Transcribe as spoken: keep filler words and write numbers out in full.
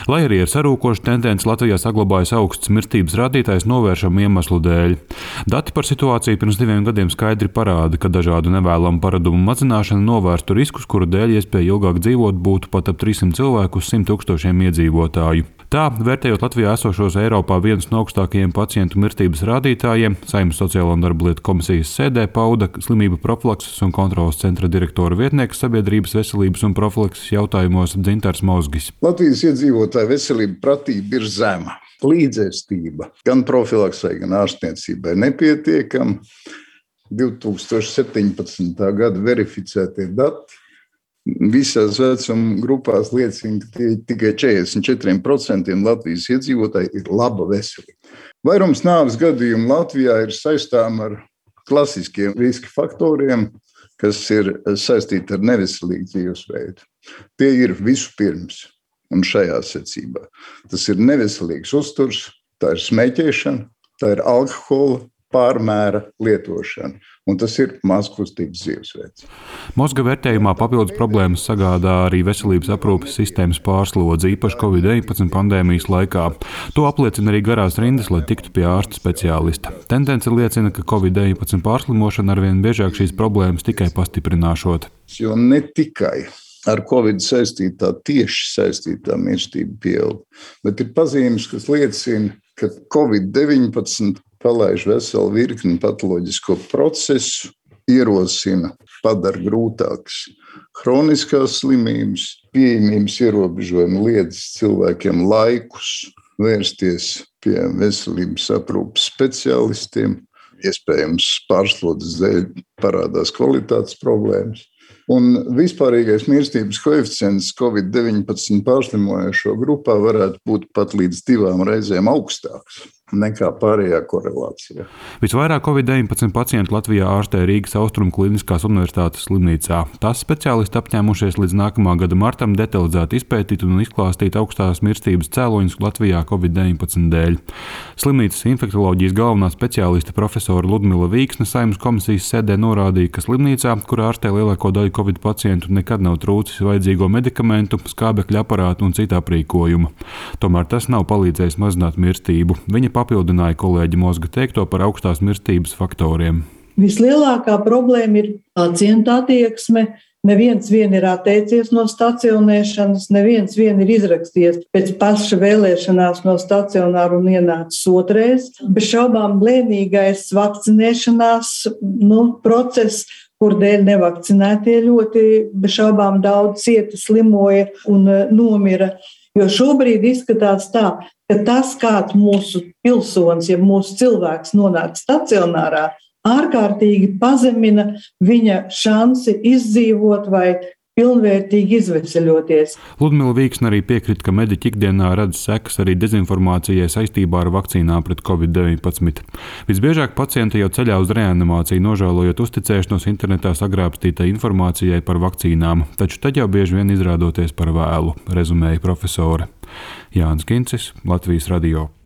Lai arī ir sarūkoša tendence, Latvijā saglabājas augsts mirstības rādītājs novēršamu iemeslu dēļ. Dati par situāciju pirms diviem gadiem skaidri parāda, ka dažādu nevēlamu paradumu mazināšana novērstu riskus, kuru dēļ iespēja ilgāk dzīvot būtu pat ap trīssimt cilvēku uz simt tūkstošiem iedzīvotāju. Tā, vērtējot Latvijā esošos Eiropā viens no augstākajiem pacientu mirstības rādītājiem, Saeimas Sociālo un darba lietu komisijas sēdē pauda slimību profilakses un kontroles centra direktora vietnieks sabiedrības veselības un profilakses jautājumos Dzintars Mozgis. Latvijas iedzīvotāju veselība pratība ir zema. Līdzēstība gan profilaksei, gan ārstniecībai nepietiekama. divi tūkstoši septiņpadsmitā gada verificētie dati visās vecuma grupās liecina, ka tikai četrdesmit četri procenti Latvijas iedzīvotāji ir laba veselība. Vairums nāves gadījumu Latvijā ir saistām ar klasiskiem riska faktoriem, kas ir saistīti ar neveselīgu dzīvesveidu. Tie ir vispirms, un šajā secībā. Tas ir neveselīgs uzturs, tā ir smēķēšana, tā ir alkohola pārmēra lietošana, un tas ir mazkustības dzīvesveids. Mozga vērtējumā papildus problēmas sagādā arī veselības aprūpes sistēmas pārslodze, īpaši covid deviņpadsmit pandēmijas laikā. To apliecina arī garās rindas, lai tiktu pie ārsta speciālista. Tendence liecina, ka covid deviņpadsmit pārslimošana arvien biežāk šīs problēmas tikai pastiprināšot. Jo ne tikai ar Covid saistītā, tieši saistītā mirstība pieaug, bet ir pazīmes, kas liecina, ka covid deviņpadsmit palaiž veselu virkni patoloģisko procesu, ierosina, padara grūtākas hroniskās slimības, pieejamības ierobežojumi liedz cilvēkiem laikus vērsties pie veselības aprūpes speciālistiem, iespējams pārslodzes dēļ parādās kvalitātes problēmas. Un vispārīgais mirstības koeficients covid deviņpadsmit pārslimojošo grupā varētu būt pat līdz divām reizēm augstāks nekā pārējā korelācijā. Visvairāk covid deviņpadsmit pacientu Latvijā ārstē Rīgas Austrumu Kliniskās universitātes slimnīcā. Tās speciālisti apņēmušies līdz nākamā gada martam detalizēti izpētīt un izklāstīt augstās mirstības cēloņus Latvijā covid deviņpadsmit dēļ. Slimnīcas infektoloģijas galvenā speciāliste profesora Ludmila Vīksne Saeimas komisijas sēdē norādīja, ka slimnīcā, kur ārstē lielāko daļu covid pacientu, nekad nav trūcis vajadzīgo medikamentu, skābekļa aparātu un cita aprīkojuma. Tomēr tas nav palīdzējis mazināt mirstību. Viņa papildināja kolēģi Mozga teikto par augstās mirstības faktoriem. Vislielākā problēma ir pacienta attieksme. Neviens vien ir atteicies no stacionēšanas, neviens vien ir izrakstījies pēc paša vēlēšanās no stacionāra un ienācis otrais. Bez šaubām lēnīgais vakcinēšanās nu, process, kur dēļ nevakcinētie ļoti bez šaubām daudz cieta, slimoja un nomira. Jo šobrīd izskatās tā, ka tas, kāds mūsu pilsonis, ja mūsu cilvēks nonāk stacionārā, ārkārtīgi pazemina viņa šansi izdzīvot vai pilnvērtīgi izveseļoties. Ludmila Vīksne arī piekrita, ka mediķi ikdienā redz sekas arī dezinformācijai saistībā ar vakcīnām pret covid deviņpadsmit. Visbiežāk pacienti jau ceļā uz reanimāciju, nožēlojot uzticēšanos internetā sagrābstītai informācijai par vakcīnām, taču tad jau bieži vien izrādoties par vēlu, rezumēja profesore. Jānis Kincis, Latvijas radio.